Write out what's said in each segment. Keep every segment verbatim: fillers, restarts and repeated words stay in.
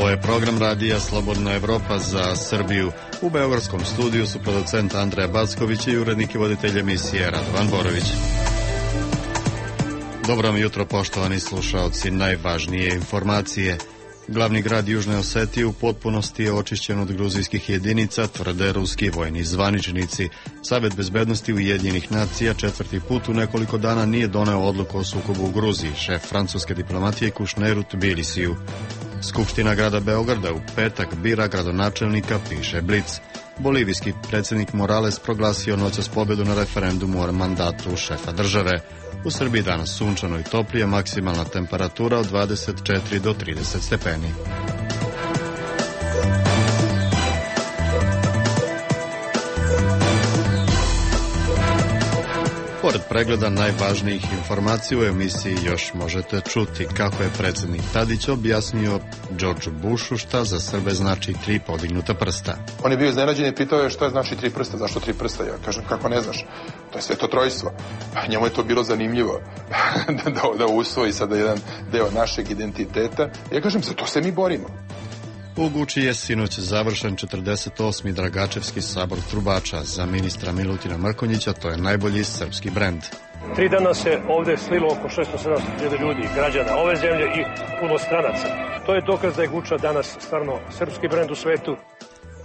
Ovo je program radija Slobodna Evropa za Srbiju. U beogradskom studiju su producent Andreja Backović i urednik i voditelj emisije Radovan Borović. Dobro vam jutro, poštovani slušaoci. Najvažnije informacije. Glavni grad Južne Osetije u potpunosti je očišćen od gruzijskih jedinica, tvrde ruski vojni zvaničnici. Savet bezbednosti Ujedinjenih nacija četvrti put u nekoliko dana nije doneo odluku o sukobu u Gruziji. Šef francuske diplomatije Kušner u Tbilisiju. Skupština grada Beograda u petak bira gradonačelnika, piše Blic. Bolivijski predsjednik Morales proglasio noćas pobedu na referendumu o mandatu šefa države. U Srbiji danas sunčano i toplije, maksimalna temperatura od dvadeset četiri do trideset stepeni. Pored pregleda najvažnijih informacija u emisiji još možete čuti kako je predsjednik Tadić objasnio George Bushu šta za Srbe znači tri podignuta prsta. On je bio iznenađen i pitao je šta znači tri prsta, zašto tri prsta? Ja kažem, kako ne znaš, to je sveto trojstvo. Njemu je to bilo zanimljivo da, da usvoji sada jedan deo našeg identiteta. Ja kažem, za to se mi borimo. U Guči je sinoć završen četrdeset osmi Dragačevski sabor trubača. Za ministra Milutina Mrkonjića to je najbolji srpski brend. Tri dana se ovdje slilo oko šesto sedamsto hiljada ljudi, građana ove zemlje i puno stranaca. To je dokaz da je Guča danas stvarno srpski brend u svetu.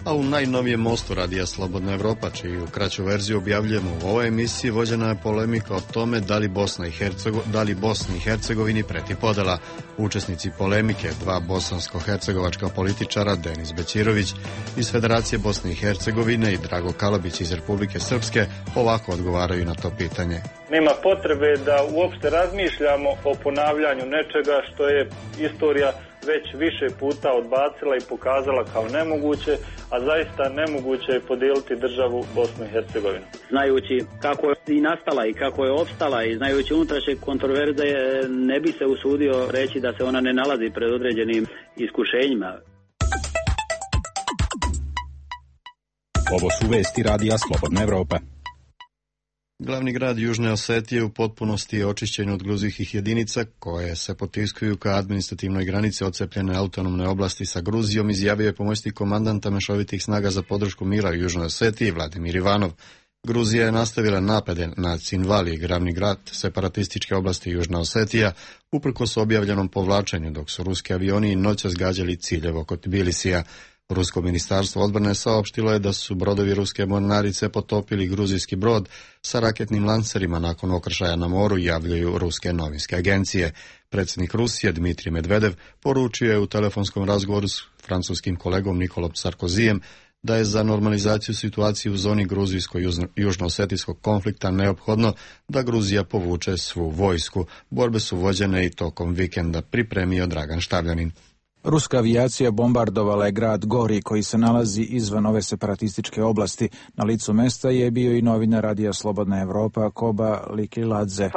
A u najnovijem mostu radija Slobodna Evropa, čiju kraću verziju objavljujemo u ovoj emisiji, vođena je polemika o tome da li Bosna i Hercego, da li Bosni i Hercegovini preti podela. Učesnici polemike, dva bosansko-hercegovačka političara, Denis Bećirović iz Federacije Bosne i Hercegovine i Drago Kalabić iz Republike Srpske, ovako odgovaraju na to pitanje. Nema potrebe da uopšte razmišljamo o ponavljanju nečega što je istorija već više puta odbacila i pokazala kao nemoguće, a zaista nemoguće je podijeliti državu Bosnu i Hercegovinu. Znajući kako je i nastala i kako je opstala i znajući unutrašnje kontroverze, ne bi se usudio reći da se ona ne nalazi pred određenim iskušenjima. Ovo su vesti radija Slobodna Evropa. Glavni grad Južne Osetije u potpunosti je očišćen od gruzijskih jedinica koje se potiskuju ka administrativnoj granici odcepljene autonomne oblasti sa Gruzijom, izjavio je pomoćnik komandanta mešovitih snaga za podršku mira u Južnoj Osetiji Vladimir Ivanov. Gruzija je nastavila napade na Cinvali, glavni grad separatističke oblasti Južna Osetija, uprkos objavljenom povlačenju, dok su ruski avioni noćas gađali ciljeve oko Tbilisija. Rusko ministarstvo odbrane saopštilo je da su brodovi ruske mornarice potopili gruzijski brod sa raketnim lancerima nakon okršaja na moru, javljaju ruske novinske agencije. Predsjednik Rusije Dmitrij Medvedev poručio je u telefonskom razgovoru s francuskim kolegom Nikolom Sarkozijem da je za normalizaciju situacije u zoni gruzijsko-južno-osetijskog konflikta neophodno da Gruzija povuče svu vojsku. Borbe su vođene i tokom vikenda, pripremio Dragan Štavljanin. Ruska avijacija bombardovala je grad Gori koji se nalazi izvan ove separatističke oblasti. Na licu mesta je bio i novinar radija Slobodna Evropa Koba Likiladze.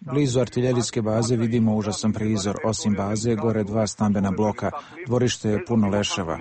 Blizu artiljerijske baze vidimo užasan prizor. Osim baze, gore dva stambena bloka. Dvorište je puno leševa.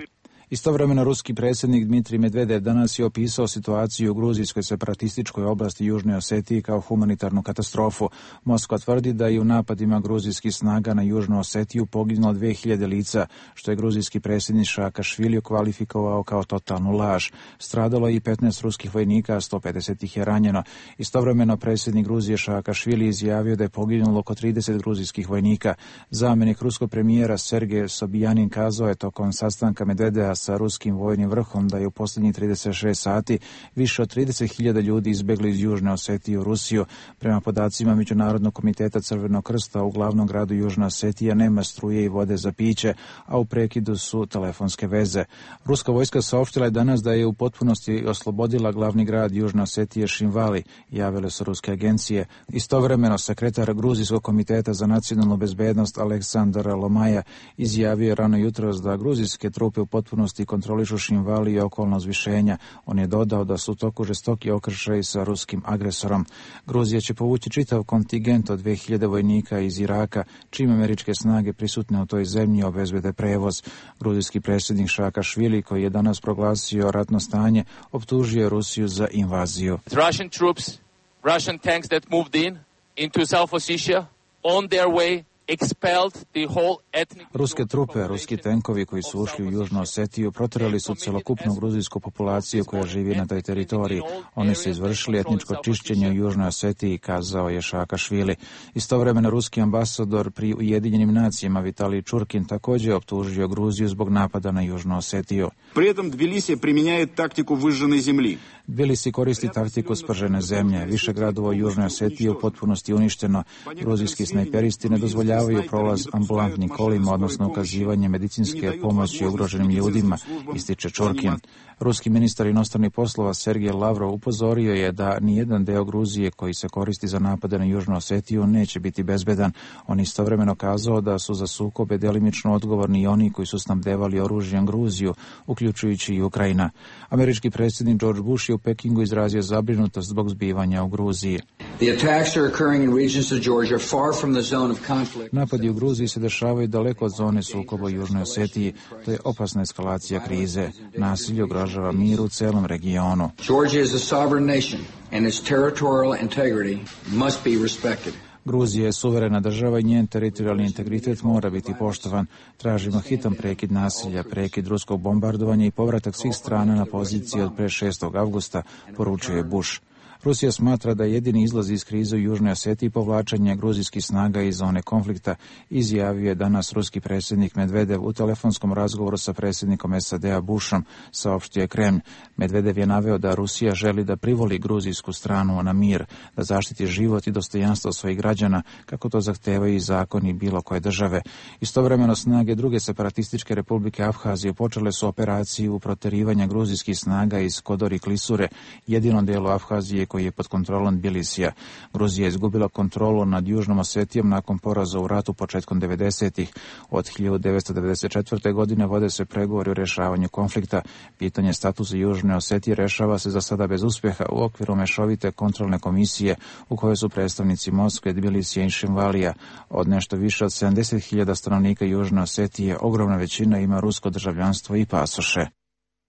Istovremeno ruski predsjednik Dmitrij Medvedev danas je opisao situaciju u gruzijskoj separatističkoj oblasti Južne Osetije kao humanitarnu katastrofu. Moskva tvrdi da je u napadima gruzijskih snaga na Južnu Osetiju poginulo dve hiljade lica, što je gruzijski predsjednik Saakašvili kvalifikovao kao totalnu laž. Stradalo je i petnaest ruskih vojnika, a sto pedeset ih je ranjeno. Istovremeno predsjednik Gruzije Saakašvili izjavio da je poginulo oko trideset gruzijskih vojnika. Zamjenik ruskog premijera Sergej Sobjanin kazao je tokom sastanka Medvedeva sa ruskim vojnim vrhom da je u posljednjih trideset šest sati više od trideset hiljada ljudi izbjegli iz Južne Osetije u Rusiju. Prema podacima Međunarodnog komiteta Crvenog krsta u glavnom gradu Južna Osetija nema struje i vode za piće, a u prekidu su telefonske veze. Ruska vojska saopštila je danas da je u potpunosti oslobodila glavni grad Južne Osetije Šinvali, javile su ruske agencije. Istovremeno sekretar Gruzijskog komiteta za nacionalnu bezbednost Aleksandar Lomaja izjavio je rano jutros da gruzijske trupe u potpunosti kontrolišu Šinvali i okolna uzvišenja. On je dodao da su u toku žestoki okršaji sa ruskim agresorom. Gruzija će povući čitav kontingent od dve hiljade vojnika iz Iraka, čim američke snage prisutne u toj zemlji obezbede prevoz. Gruzijski predsjednik Saakašvili, koji je danas proglasio ratno stanje, optužio Rusiju za invaziju. Russian troops, Russian tanks that moved in into South Ossetia on their way Ruske trupe, ruski tenkovi koji su ušli u Južnu Osetiju proterali su celokupnu gruzijsku populaciju koja živi na toj teritoriji. Oni su izvršili etničko čišćenje u Južnoj Osetiji, kazao je Šakašvili. Istovremeno ruski ambasador pri Ujedinjenim nacijama Vitalij Čurkin također optužio Gruziju zbog napada na Južnu Osetiju. Pri этом Tbilisi primjenjuje taktiku vyžžene zemlji. Tbilisi koristi taktiku spržene zemlje. Više gradova u Južnoj Osetiji je u potpunosti uništeno. Gruzijski snajperisti ne dozvoljavaju prolaz ambulantnim kolima, odnosno ukazivanje medicinske pomoći ugroženim ljudima, ističe Čurkin. Ruski ministar inostranih poslova Sergej Lavrov upozorio je da nijedan deo Gruzije koji se koristi za napade na Južnu Osetiju neće biti bezbedan. On istovremeno kazao da su za sukobe delimično odgovorni i oni koji su snabdevali oružjem Gruziju, uključujući i Ukrajina. Američki predsjednik George Bush je u Pekingu izrazio zabrinutost zbog zbivanja u Gruziji. Napadi u Gruziji se dešavaju daleko od zone sukoba u Južnoj Osetiji. To je opasna eskalacija krize. Nasilje ugrožava mir u celom regionu. Georgia is a sovereign nation and its territorial integrity must be respected. Gruzija je suverena država i njen teritorijalni integritet mora biti poštovan. Tražimo hitan prekid nasilja, prekid ruskog bombardovanja i povratak svih strana na poziciji od pre šestog avgusta, poručuje Bush. Rusija smatra da jedini izlaz iz krize u Južnoj Osetiji povlačenje gruzijskih snaga iz zone konflikta, izjavio je danas ruski predsjednik Medvedev u telefonskom razgovoru sa predsjednikom S A D-a Bushom, saopštio je Kremlj. Medvedev je naveo da Rusija želi da privoli gruzijsku stranu na mir, da zaštiti život i dostojanstvo svojih građana, kako to zahtevaju i zakoni bilo koje države. Istovremeno snage druge separatističke republike Abhazije počele su operaciju proterivanja gruzijskih snaga iz Kodori Klisure, jedinom delu Abhazije koji je pod kontrolom Tbilisija. Gruzija je izgubila kontrolu nad Južnom Osetijom nakon poraza u ratu početkom devedesetih. Od hiljadu devetsto devedeset četvrte. godine vode se pregovori o rješavanju konflikta. Pitanje statusa Južne Osetije rešava se za sada bez uspjeha u okviru mešovite kontrolne komisije u kojoj su predstavnici Moskve, Tbilisija i Šinvalija. Od nešto više od sedamdeset hiljada stanovnika Južne Osetije ogromna većina ima rusko državljanstvo i pasoše.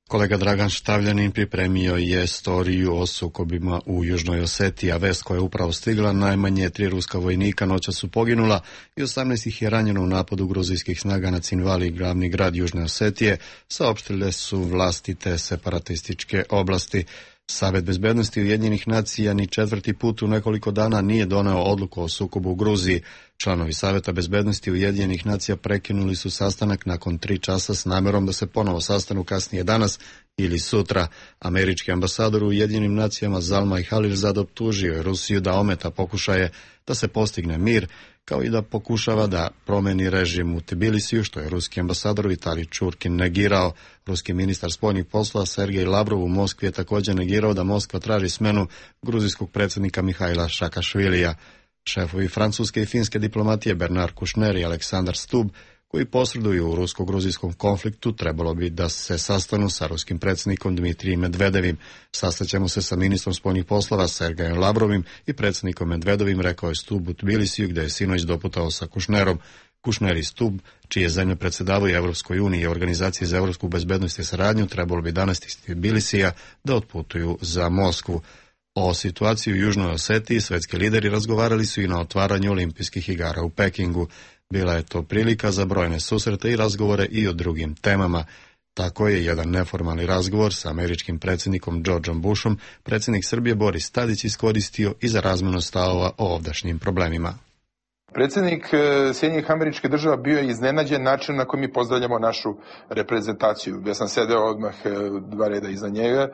Kolega Dragan Štavljanin pripremio je storiju o sukobima u Južnoj Osetiji, a vest koja je upravo stigla, najmanje tri ruska vojnika noća su poginula i osamnaest ih je ranjeno u napadu gruzijskih snaga na Cinvali, glavni grad Južne Osetije, saopštile su vlasti te separatističke oblasti. Savet bezbednosti Ujedinjenih nacija ni četvrti put u nekoliko dana nije doneo odluku o sukobu u Gruziji. Članovi Saveta bezbednosti Ujedinjenih nacija prekinuli su sastanak nakon tri časa s namjerom da se ponovo sastanu kasnije danas ili sutra. Američki ambasador u Ujedinjenim nacijama Zalmay Khalilzad optužio je Rusiju da ometa pokušaje da se postigne mir, kao i da pokušava da promeni režim u Tbilisiju, što je ruski ambasador Vitalij Čurkin negirao. Ruski ministar spoljnih poslova Sergej Lavrov u Moskvi je također negirao da Moskva traži smenu gruzijskog predsjednika Mihaila Šakašvilija. Šefovi francuske i finske diplomatije Bernard Kouchner i Aleksandar Stubb, koji posreduju u rusko-gruzijskom konfliktu, trebalo bi da se sastanu sa ruskim predsjednikom Dmitrijem Medvedevim. Sastaćemo se sa ministrom spoljnih poslova Sergejem Lavrovim i predsjednikom Medvedovim, rekao je Stubb u Tbilisiju, gdje je sinoć doputao sa Kouchnerom. Kouchner i Stubb, čije zemlje predsjedavaju Evropskoj uniji i Organizaciji za evropsku bezbednost i saradnju, trebalo bi danas iz Tbilisija da otputuju za Moskvu. O situaciji u Južnoj Osetiji svetski lideri razgovarali su i na otvaranju olimpijskih igara u Pekingu. Bila je to prilika za brojne susrete i razgovore i o drugim temama. Tako je jedan neformalni razgovor sa američkim predsjednikom Georgeom Bushom predsjednik Srbije Boris Tadić iskoristio i za razmjenu stavova o ovdašnjim problemima. Predsjednik Sjedinjenih Američkih Država bio je iznenađen način na koji mi pozdravljamo našu reprezentaciju. Ja sam sedeo odmah dva reda iza njega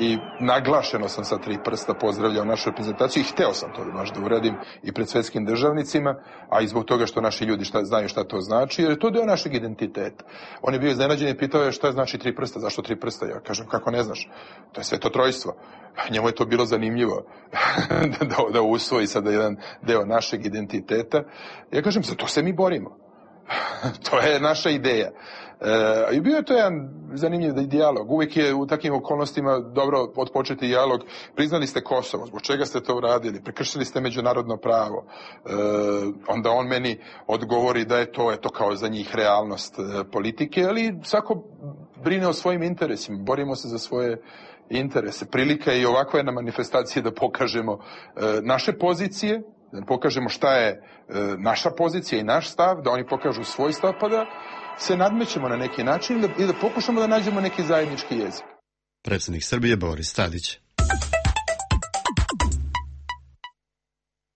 i naglašeno sam sa tri prsta pozdravljao našu reprezentaciju i hteo sam to baš da uradim i pred svetskim državnicima, a i zbog toga što naši ljudi šta, znaju šta to znači, jer je to deo našeg identiteta. On je bio iznenađen i pitao je šta znači tri prsta, zašto tri prsta? Ja kažem, kako ne znaš? To je sveto trojstvo. Njemu je to bilo zanimljivo da, da usvoji sada jedan deo našeg identiteta. Ja kažem, za to se mi borimo. To je naša ideja. E, I bio je to jedan zanimljiv dijalog. Uvijek je u takvim okolnostima dobro odpočeti dijalog. Priznali ste Kosovo, zbog čega ste to uradili? Prekršili ste međunarodno pravo. E, onda on meni odgovori da je to, eto, kao za njih realnost e, politike, ali svako brine o svojim interesima. Borimo se za svoje interese. Prilika je i ovakva jedna manifestacija da pokažemo e, naše pozicije, da pokažemo šta je e, naša pozicija i naš stav, da oni pokažu svoj stav, pa da se nadmećemo na neki način i da, i da pokušamo da nađemo neki zajednički jezik. Predsjednik Srbije Boris Tadić.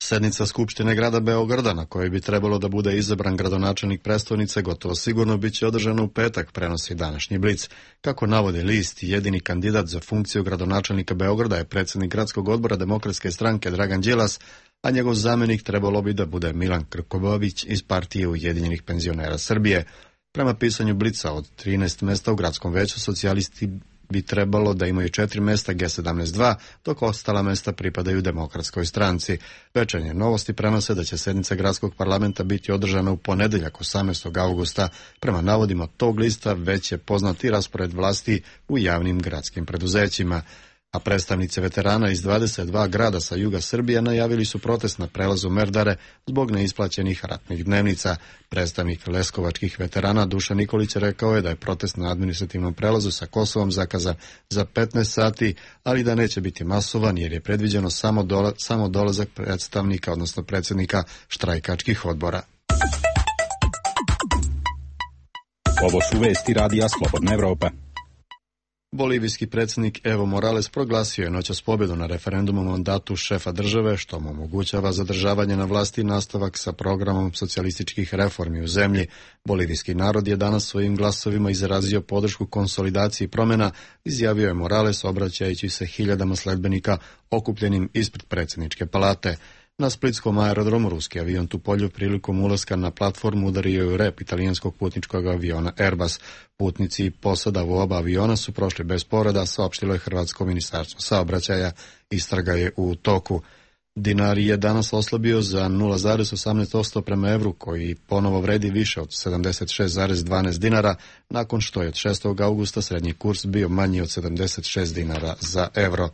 Sednica Skupštine grada Beograda, na kojoj bi trebalo da bude izabran gradonačelnik prestonice, gotovo sigurno bit će održana u petak, prenosi današnji Blic. Kako navode list, jedini kandidat za funkciju gradonačelnika Beograda je predsjednik gradskog odbora Demokratske stranke Dragan Đilas, a njegov zamjenik trebalo bi da bude Milan Krkobabić iz partije Ujedinjenih penzionera Srbije. Prema pisanju Blica, od trinaest mesta u gradskom veću socijalisti bi trebalo da imaju četiri mesta G sedamnaest dva, dok ostala mesta pripadaju Demokratskoj stranci. Večernje novosti prenose da će sednica gradskog parlamenta biti održana u ponedeljak osamnaestog augusta. Prema navodima tog lista već je poznat i raspored vlasti u javnim gradskim preduzećima. A predstavnici veterana iz dvadeset dva grada sa juga Srbije najavili su protest na prelazu Merdare zbog neisplaćenih ratnih dnevnica. Predstavnik leskovačkih veterana Dušan Nikolić rekao je da je protest na administrativnom prelazu sa Kosovom zakazan za petnaest sati, ali da neće biti masovan jer je predviđeno samo, dola, samo dolazak predstavnika, odnosno predsjednika štrajkačkih odbora. Ovo su vesti radija Slobodna Evropa. Bolivijski predsjednik Evo Morales proglasio je noćas pobjedu na referendumu o mandatu šefa države, što mu omogućava zadržavanje na vlasti i nastavak sa programom socijalističkih reformi u zemlji. Bolivijski narod je danas svojim glasovima izrazio podršku konsolidaciji promjena, izjavio je Morales obraćajući se hiljadama sledbenika okupljenim ispred predsjedničke palate. Na splitskom aerodromu ruski avion Tupoljov prilikom ulaska na platformu udario je u rep italijanskog putničkog aviona Airbus. Putnici i posada u oba aviona su prošli bez povreda, saopštilo je Hrvatsko ministarstvo saobraćaja. Istraga je u toku. Dinar je danas oslabio za nula zarez osamnaest posto prema evru, koji ponovo vredi više od sedamdeset šest zarez dvanaest dinara, nakon što je od šestog augusta srednji kurs bio manji od sedamdeset šest dinara za evro.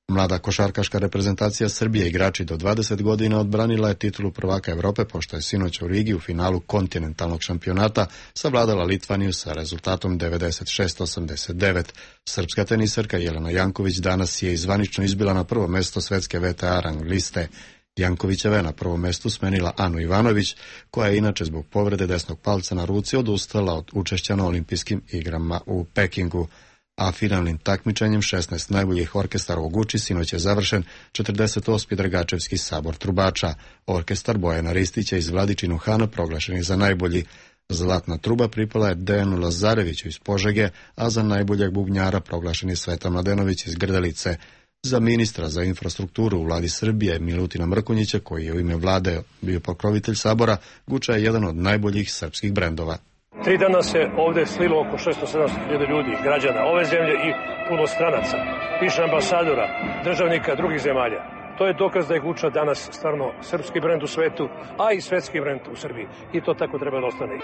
Mlada košarkaška reprezentacija Srbije, igrači do dvadeset godina, odbranila je titulu prvaka Evrope, pošto je sinoć u Rigi u finalu kontinentalnog šampionata savladala Litvaniju sa rezultatom devedeset šest osamdeset devet. Srpska tenisarka Jelena Janković danas je zvanično izbila na prvo mesto svetske V T A rang liste. Jankovićeva je na prvom mestu smenila Anu Ivanović, koja je inače zbog povrede desnog palca na ruci odustala od učešća na olimpijskim igrama u Pekingu. A finalnim takmičenjem šesnaest najboljih orkestara u Guči sinoć je završen četrdeset osmi Dragačevski sabor trubača. Orkestar Bojana Ristića iz Vladičinu Hana proglašen je za najbolji. Zlatna truba pripala je Dejanu Lazareviću iz Požege, a za najboljeg bubnjara proglašen je Sveta Mladenović iz Grdelice. Za ministra za infrastrukturu u vladi Srbije Milutina Mrkonjića, koji je u ime vlade bio pokrovitelj sabora, Guča je jedan od najboljih srpskih brendova. Tri dana se ovdje slilo oko šesto sedamsto hiljada ljudi, građana ove zemlje i puno stranaca, više ambasadora, državnika drugih zemalja. To je dokaz da je Guča danas stvarno srpski brend u svetu, a i svetski brend u Srbiji. I to tako treba da ostane.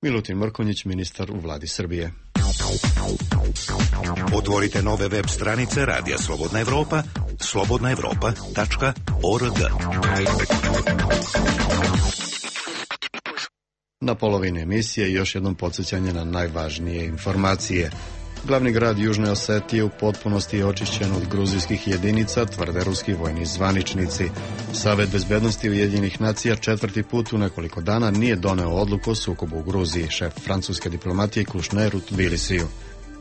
Milutin Mrkonjić, ministar u vladi Srbije. Otvorite nove web stranice Radija Slobodna Evropa, slobodna evropa tačka org. Na polovini emisije još jednom podsjećanje na najvažnije informacije. Glavni grad Južne Osetije u potpunosti je očišćen od gruzijskih jedinica, tvrde ruski vojni zvaničnici. Savet bezbednosti Ujedinjenih nacija četvrti put u nekoliko dana nije doneo odluku o sukobu u Gruziji, šef francuske diplomatije Kušner u Tbilisiju.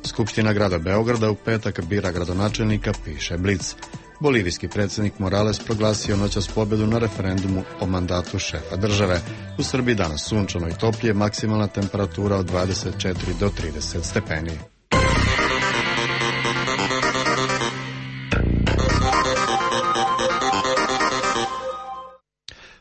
Skupština grada Beograda u petak bira gradonačelnika, piše Blic. Bolivijski predsjednik Morales proglasio noćas pobjedu na referendumu o mandatu šefa države. U Srbiji danas sunčano i toplije, maksimalna temperatura od dvadeset četiri do trideset stepeni.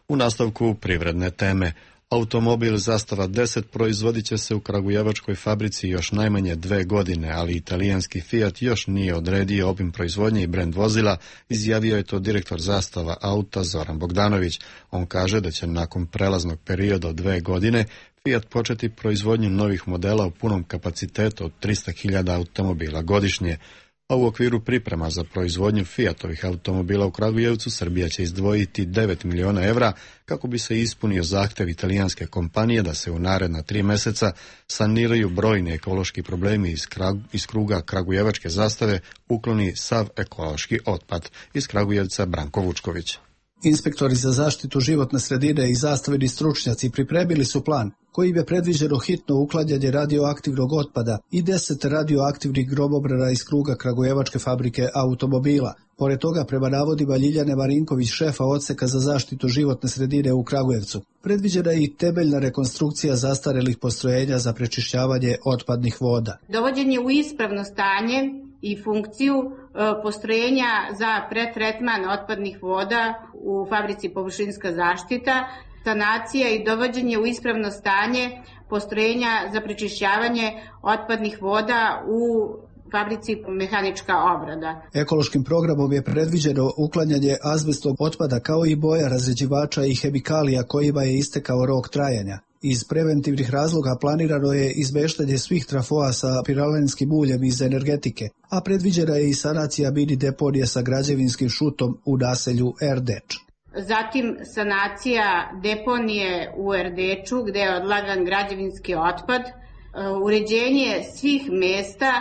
U nastavku privredne teme. Automobil Zastava deset proizvodit će se u kragujevačkoj fabrici još najmanje dve godine, ali italijanski Fiat još nije odredio obim proizvodnje i brend vozila, izjavio je to direktor Zastava auta Zoran Bogdanović. On kaže da će nakon prelaznog perioda od dve godine Fiat početi proizvodnju novih modela u punom kapacitetu od trista hiljada automobila godišnje. A u okviru priprema za proizvodnju Fiatovih automobila u Kragujevcu Srbija će izdvojiti devet miliona evra kako bi se ispunio zahtjev italijanske kompanije da se u naredna tri mjeseca saniraju brojni ekološki problemi iz, krag, iz kruga Kragujevačke zastave, ukloni sav ekološki otpad. Iz Kragujevca Branko Vučković. Inspektori za zaštitu životne sredine i zastaveni stručnjaci pripremili su plan kojim je predviđeno hitno uklanjanje radioaktivnog otpada i deset radioaktivnih gromobrana iz kruga kragujevačke fabrike automobila. Pored toga, prema navodima Ljiljane Marinković, šefa odseka za zaštitu životne sredine u Kragujevcu, predviđena je i temeljna rekonstrukcija zastarelih postrojenja za prečišćavanje otpadnih voda. Dovođenje u ispravno stanje i funkciju postrojenja za pretretman otpadnih voda u fabrici Površinska zaštita, sanacija i dovođenje u ispravno stanje postrojenja za prečišćavanje otpadnih voda u fabrici Mehanička obrada. Ekološkim programom je predviđeno uklanjanje azbestnog otpada kao i boja, razređivača i hemikalija kojima je istekao rok trajanja. Iz preventivnih razloga planirano je izmeštanje svih trafoa sa piralenskim uljem iz energetike, a predviđena je i sanacija mini deponije sa građevinskim šutom u naselju Erdeč. Zatim sanacija deponije u Erdeču gde je odlagan građevinski otpad, uređenje svih mesta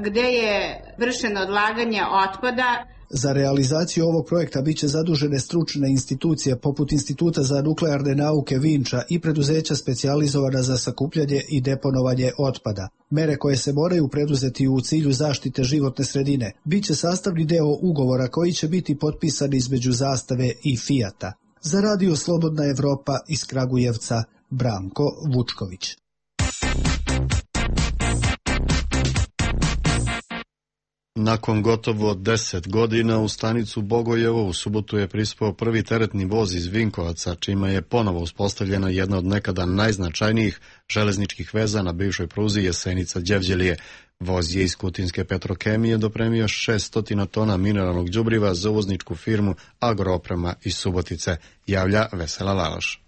gde je vršeno odlaganje otpada. Za realizaciju ovog projekta biće zadužene stručne institucije poput Instituta za nuklearne nauke Vinča i preduzeća specijalizovana za sakupljanje i deponovanje otpada. Mere koje se moraju preduzeti u cilju zaštite životne sredine biće sastavni deo ugovora koji će biti potpisan između Zastave i Fijata. Za Radio Slobodna Evropa iz Kragujevca, Branko Vučković. Nakon gotovo deset godina u stanicu Bogojevo u subotu je prispao prvi teretni voz iz Vinkovaca, čime je ponovo uspostavljena jedna od nekada najznačajnijih železničkih veza na bivšoj pruzi Jesenica-Đevđelije. Voz je iz Kutinske Petrokemije dopremio šesto tona mineralnog đubriva za uvozničku firmu Agrooprema iz Subotice, javlja Vesela Laloš.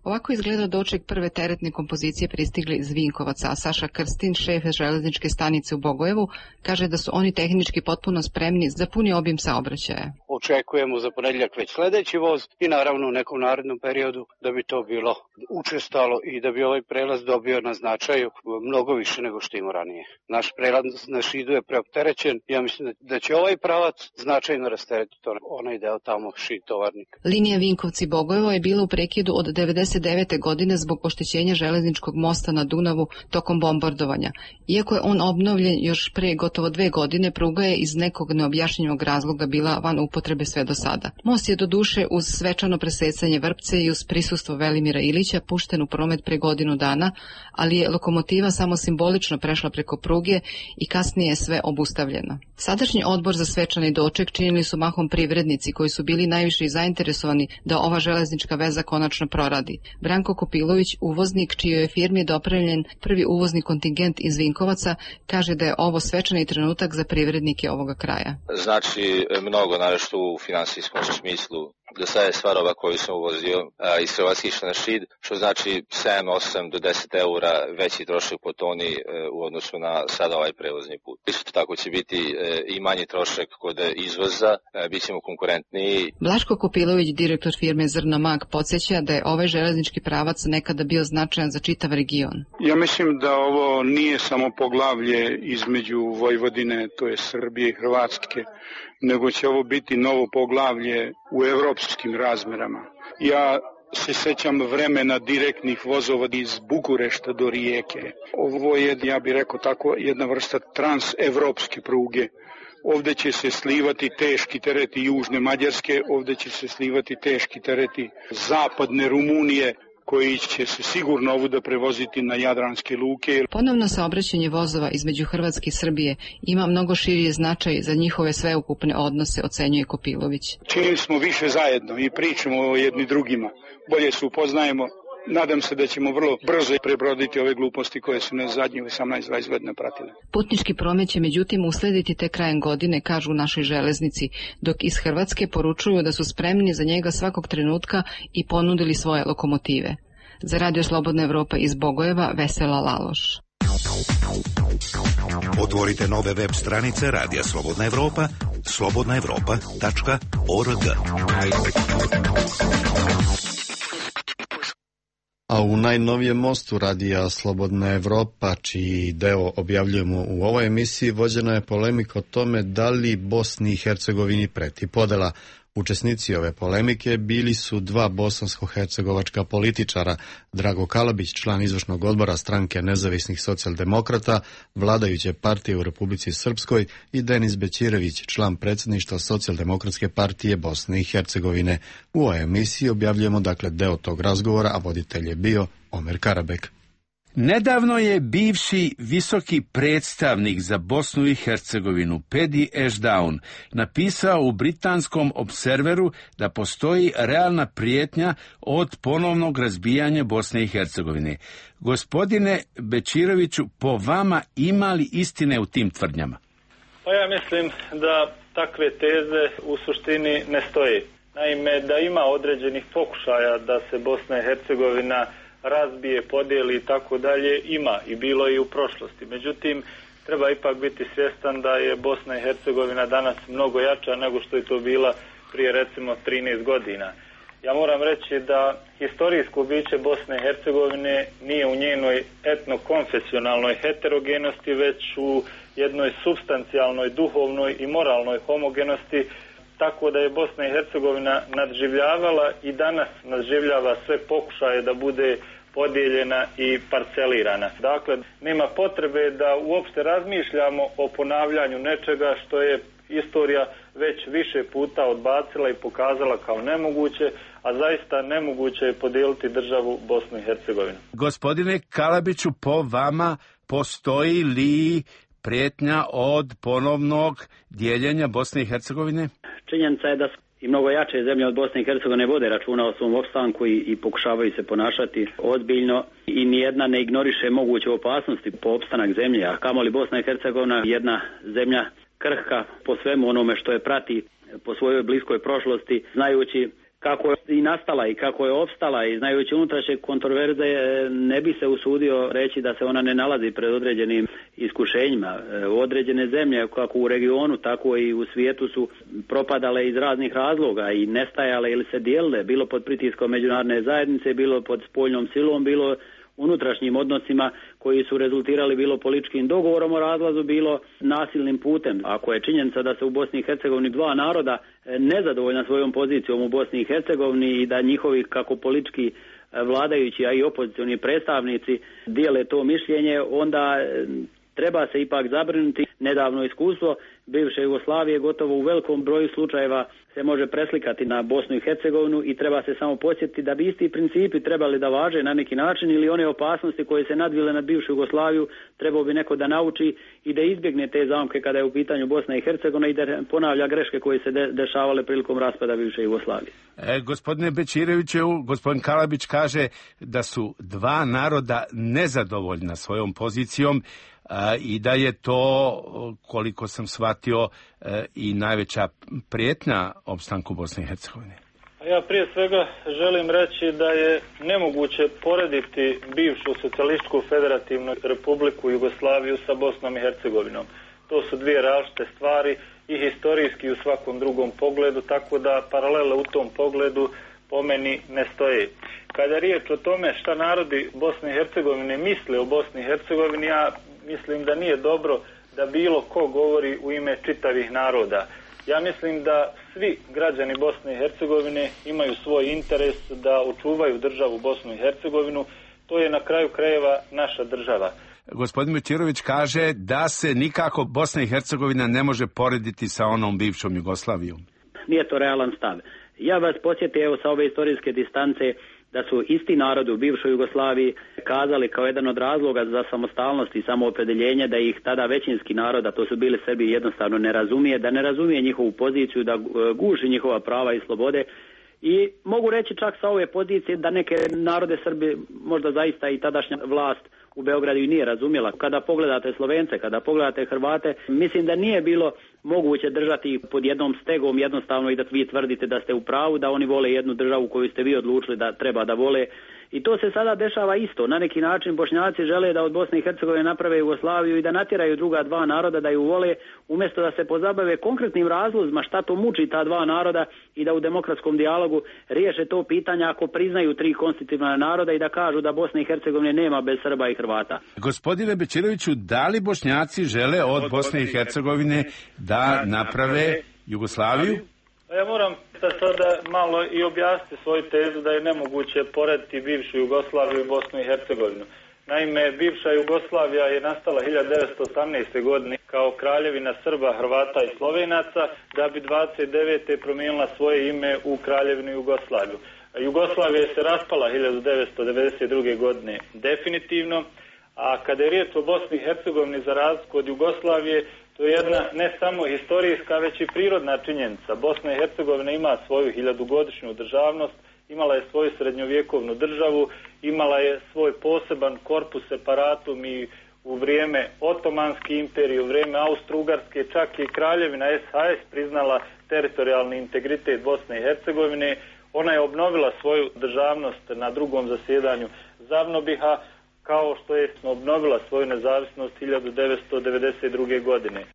Ovako izgleda doček prve teretne kompozicije pristigli iz Vinkovaca, a Saša Krstin, šef železničke stanice u Bogojevu, kaže da su oni tehnički potpuno spremni za puni obim saobraćaja. Očekujemo za ponedjeljak već sledeći voz i naravno u nekom narednom periodu da bi to bilo učestalo i da bi ovaj prelaz dobio na značaju mnogo više nego što ima ranije. Naš prelaz na Šidu je preopterećen, ja mislim da će ovaj pravac značajno rasteretiti onaj deo tamo Šid Tovarnik. Linija Vinkovci-Bogojevo je bila u prekidu od devedeset devete godine zbog oštećenja železničkog mosta na Dunavu tokom bombardovanja. Iako je on obnovljen još pre gotovo dve godine, pruga je iz nekog neobjašnjenog razloga bila van upotrebe sve do sada. Most je do duše uz svečano presecanje vrpce i uz prisustvo Velimira Ilića pušten u promet pre godinu dana, ali je lokomotiva samo simbolično prešla preko pruge i kasnije je sve obustavljeno. Sadašnji odbor za svečani doček činili su mahom privrednici koji su bili najviše zainteresovani da ova železnička veza konačno proradi. Branko Kopilović, uvoznik čijoj je firmi dopremljen prvi uvozni kontingent iz Vinkovaca, kaže da je ovo svečani trenutak za privrednike ovoga kraja. Znači mnogo, naravno u finansijskom smislu. Do sada je sva roba koju sam uvozio a, iz Hrvatske išla na Šid, što znači sedam, osam do deset eura veći trošak po toni e, u odnosu na sada ovaj prevozni put. Isto tako će biti e, i manji trošak kod izvoza, e, bit ćemo konkurentniji. Blaško Kopilović, direktor firme Zrno Mag, podsjeća da je ovaj železnički pravac nekada bio značajan za čitav region. Ja mislim da ovo nije samo poglavlje između Vojvodine, to je Srbije i Hrvatske, nego će ovo biti novo poglavlje u evropskim razmerama. Ja se sećam vremena direktnih vozova iz Bukurešta do Rijeke. Ovo je, ja bih rekao tako, jedna vrsta transevropske pruge. Ovde će se slivati teški tereti južne Mađarske, ovde će se slivati teški tereti zapadne Rumunije, koji će se sigurno ovuda prevoziti na jadranske luke. Ponovno saobraćanje vozova između Hrvatske i Srbije ima mnogo širi značaj za njihove sveukupne odnose, ocenjuje Kopilović. Činili smo više zajedno i pričamo o jedni drugima. Bolje se upoznajemo. Nadam se da ćemo vrlo brzo prebroditi ove gluposti koje su nas zadnjih osamnaest dvadeset godina pratile. Putnički promet će međutim uslediti te krajem godine, kažu u našoj železnici, dok iz Hrvatske poručuju da su spremni za njega svakog trenutka i ponudili svoje lokomotive. Za Radio Slobodna Evropa iz Bogojeva, Vesela Laloš. Otvorite nove web stranice Radija Slobodna Evropa, slobodna evropa tačka org. A u najnovijem mostu radija Slobodna Evropa, čiji deo objavljujemo u ovoj emisiji, vođena je polemika o tome da li Bosni i Hercegovini preti podela. Učesnici ove polemike bili su dva bosansko-hercegovačka političara, Drago Kalabić, član izvršnog odbora stranke nezavisnih socijaldemokrata, vladajuće partije u Republici Srpskoj, i Denis Bećirević, član predsjedništva Socijaldemokratske partije Bosne i Hercegovine. U ovoj emisiji objavljujemo dakle deo tog razgovora, a voditelj je bio Omer Karabek. Nedavno je bivši visoki predstavnik za Bosnu i Hercegovinu Pedi Ashdown napisao u britanskom Observeru da postoji realna prijetnja od ponovnog razbijanja Bosne i Hercegovine. Gospodine Bećiroviću, po vama ima li istine u tim tvrdnjama? Pa ja mislim da takve teze u suštini ne stoje. Naime, da ima određenih pokušaja da se Bosna i Hercegovina razbije, podijeli i tako dalje, ima i bilo i u prošlosti. Međutim, treba ipak biti svjestan da je Bosna i Hercegovina danas mnogo jača nego što je to bila prije recimo trinaest godina. Ja moram reći da historijsko biće Bosne i Hercegovine nije u njenoj etnokonfesionalnoj heterogenosti, već u jednoj supstancijalnoj, duhovnoj i moralnoj homogenosti, tako da je Bosna i Hercegovina nadživljavala i danas nadživljava sve pokušaje da bude podijeljena i parcelirana. Dakle, nema potrebe da uopšte razmišljamo o ponavljanju nečega što je istorija već više puta odbacila i pokazala kao nemoguće, a zaista nemoguće je podijeliti državu Bosnu i Hercegovinu. Gospodine Kalabiću, po vama postoji li prijetnja od ponovnog dijeljenja Bosne i Hercegovine? Činjenica je da i mnogo jače zemlje od Bosne i Hercegovine vode računa o svom opstanku i, i pokušavaju se ponašati ozbiljno i nijedna ne ignoriše moguće opasnosti po opstanak zemlje, a kamoli Bosna i Hercegovina jedna zemlja krhka po svemu onome što je prati po svojoj bliskoj prošlosti, znajući kako je i nastala i kako je opstala i znajući unutrašnje kontroverze, ne bi se usudio reći da se ona ne nalazi pred određenim iskušenjima. Određene zemlje, kako u regionu, tako i u svijetu, su propadale iz raznih razloga i nestajale ili se dijelile, bilo pod pritiskom međunarodne zajednice, bilo pod spoljnom silom, bilo unutrašnjim odnosima koji su rezultirali bilo političkim dogovorom o razlazu, bilo nasilnim putem. Ako je činjenica da se u Bosni i Hercegovini dva naroda nezadovoljna svojom pozicijom u Bosni i Hercegovini i da njihovi kako politički vladajući, a i opozicioni predstavnici dijele to mišljenje, onda treba se ipak zabrinuti. Nedavno iskustvo bivše Jugoslavije gotovo u velikom broju slučajeva se može preslikati na Bosnu i Hercegovinu i treba se samo podsjetiti da bi isti principi trebali da važe na neki način, ili one opasnosti koje se nadvile na bivšu Jugoslaviju trebao bi neko da nauči i da izbjegne te zamke kada je u pitanju Bosna i Hercegovina i da ponavlja greške koje se de- dešavale prilikom raspada bivše Jugoslavije. E, gospodine Bećireviću, gospodin Kalabić kaže da su dva naroda nezadovoljna svojom pozicijom a, i da je to, koliko sam shvatio, e, i najveća prijetnja opstanku Bosne i Hercegovine. Ja prije svega želim reći da je nemoguće porediti bivšu socijalističku federativnu republiku Jugoslaviju sa Bosnom i Hercegovinom. To su dvije različite stvari i historijski i u svakom drugom pogledu, tako da paralele u tom pogledu po meni ne stoje. Kada je riječ o tome šta narodi Bosne i Hercegovine misle o Bosni i Hercegovini, ja mislim da nije dobro da bilo ko govori u ime čitavih naroda. Ja mislim da svi građani Bosne i Hercegovine imaju svoj interes da očuvaju državu Bosnu i Hercegovinu. To je na kraju krajeva naša država. Gospodin Bećirović kaže da se nikako Bosna i Hercegovina ne može porediti sa onom bivšom Jugoslavijom. Nije to realan stav. Ja vas podsjetim, evo, sa ove istorijske distance, da su isti narodi u bivšoj Jugoslaviji kazali kao jedan od razloga za samostalnost i samoopredeljenje da ih tada većinski narod, a to su bili Srbi, jednostavno ne razumije, da ne razumije njihovu poziciju, da guši njihova prava i slobode. I mogu reći čak sa ove pozicije da neke narode Srbi, možda zaista i tadašnja vlast u Beogradu i nije razumjela. Kada pogledate Slovence, kada pogledate Hrvate, mislim da nije bilo moguće držati ih pod jednom stegom jednostavno i da vi tvrdite da ste u pravu, da oni vole jednu državu koju ste vi odlučili da treba da vole I to se sada dešava isto. Na neki način Bošnjaci žele da od Bosne i Hercegovine naprave Jugoslaviju i da natjeraju druga dva naroda da ju vole, umjesto da se pozabave konkretnim razlozima šta to muči ta dva naroda i da u demokratskom dijalogu riješe to pitanje ako priznaju tri konstitutivna naroda i da kažu da Bosne i Hercegovine nema bez Srba i Hrvata. Gospodine Bečiroviću, da li Bošnjaci žele od Bosne i Hercegovine da naprave Jugoslaviju? Ja moram sada malo i objasniti svoju tezu da je nemoguće porediti bivšu Jugoslaviju i Bosnu i Hercegovinu. Naime, bivša Jugoslavija je nastala hiljadu devetsto osamnaeste. godine kao kraljevina Srba, Hrvata i Slovenaca, da bi dvadeset devete promijenila svoje ime u kraljevinu Jugoslaviju. Jugoslavija se raspala hiljadu devetsto devedeset druge. godine definitivno, a kada je riječ o Bosni i Hercegovini, za razliku od Jugoslavije, to je jedna ne samo historijska, već i prirodna činjenica. Bosna i Hercegovina ima svoju hiljadugodišnju državnost, imala je svoju srednjovjekovnu državu, imala je svoj poseban korpus separatum i u vrijeme Otomanske imperije, u vrijeme Austro-Ugarske, čak i kraljevina S H S priznala teritorijalni integritet Bosne i Hercegovine. Ona je obnovila svoju državnost na drugom zasjedanju Zavnobiha, kao što je obnovila svoju nezavisnost hiljadu devetsto devedeset druge. godine.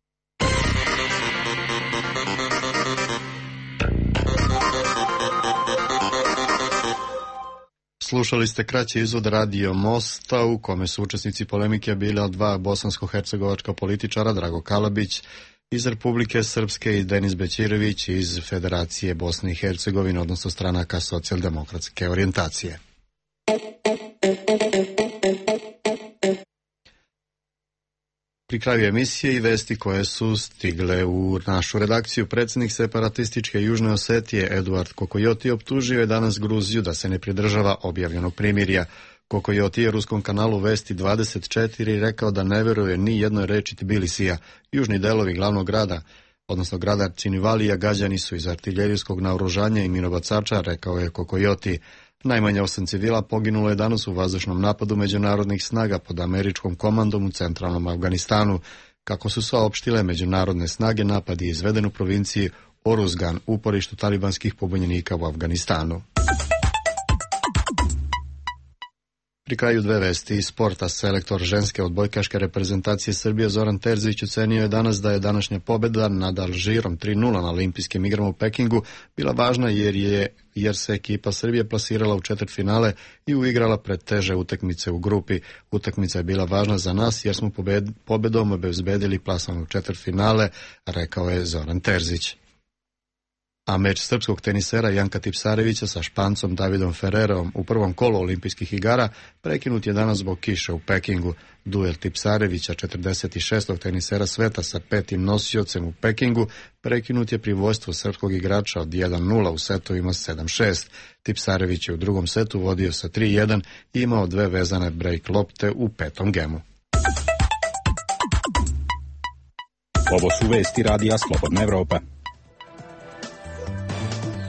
Slušali ste kraći izvod Radio Mosta u kome su učesnici polemike bili dva bosansko-hercegovačka političara, Drago Kalabić iz Republike Srpske i Denis Bećirović iz Federacije Bosne i Hercegovine, odnosno stranaka socijaldemokratske orijentacije. Pri kraju emisije i vesti koje su stigle u našu redakciju. Predsjednik separatističke Južne Osetije Eduard Kokojoti optužio je danas Gruziju da se ne pridržava objavljenog primirja. Kokojoti je ruskom kanalu Vesti dvadeset četiri rekao da ne vjeruje ni jednoj reči Tbilisija. Južni delovi glavnog grada, odnosno grada Činivalija, gađani su iz artiljerijskog naoružanja i minobacača, rekao je Kokojoti. Najmanje osam civila poginulo je danas u vazdušnom napadu međunarodnih snaga pod američkom komandom u centralnom Afganistanu. Kako su saopštile međunarodne snage, napad je izveden u provinciji Oruzgan, uporištu talibanskih pobunjenika u Afganistanu. Pri kraju dve vesti iz sporta. Selektor ženske odbojkaške reprezentacije Srbije Zoran Terzić ocenio je danas da je današnja pobjeda nad Alžirom tri nula na olimpijskim igrama u Pekingu bila važna jer je jer se ekipa Srbije plasirala u četvrtfinale i uigrala pred teže utakmice u grupi. Utakmica je bila važna za nas jer smo pobed, pobjedom obezbedili plasman u četvrtfinale, rekao je Zoran Terzić. A meč srpskog tenisera Janka Tipsarevića sa Špancom Davidom Ferrerom u prvom kolu olimpijskih igara prekinut je danas zbog kiše u Pekingu. Duel Tipsarevića, četrdeset šestog tenisera sveta sa petim nosiocem u Pekingu, prekinut je pri vojstvu srpskog igrača od jedan nula u setovima sedam šest. Tipsarević je u drugom setu vodio sa tri jedan i imao dve vezane break lopte u petom gemu. Ovo su vesti Radija Slobodna Evropa.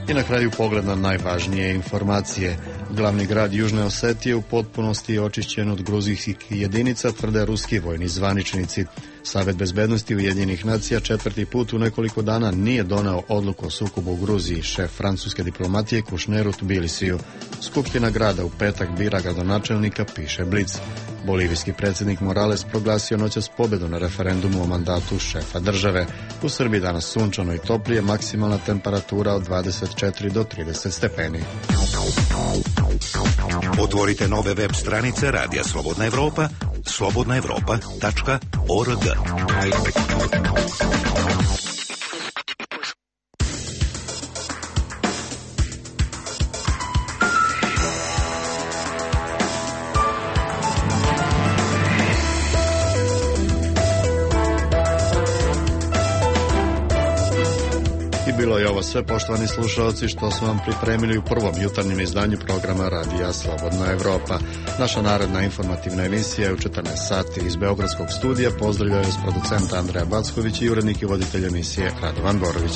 I na kraju pogled na najvažnije informacije. Glavni grad Južne Osetije u potpunosti je očišćen od gruzijskih jedinica, tvrde ruski vojni zvaničnici. Savet bezbednosti Ujedinjenih nacija četvrti put u nekoliko dana nije doneo odluku o sukobu u Gruziji. Šef francuske diplomatije Kušner u Tbilisiju. Skupština grada u petak bira gradonačelnika, piše Blic. Bolivijski predsjednik Morales proglasio noćas pobjedu na referendumu o mandatu šefa države. U Srbiji danas sunčano i toplije, maksimalna temperatura od dvadeset četiri do trideset stepeni. Otvorite nove web stranice Radija Slobodna Evropa, slobodna evropa tačka org. Bilo je ovo sve, poštovani slušalci, što smo vam pripremili u prvom jutarnjem izdanju programa Radija Slobodna Evropa. Naša naredna informativna emisija je u četrnaest sati iz Beogradskog studija. Pozdravljaju s producenta Andreja Backović i urednik i voditelj emisije Radovan Borović.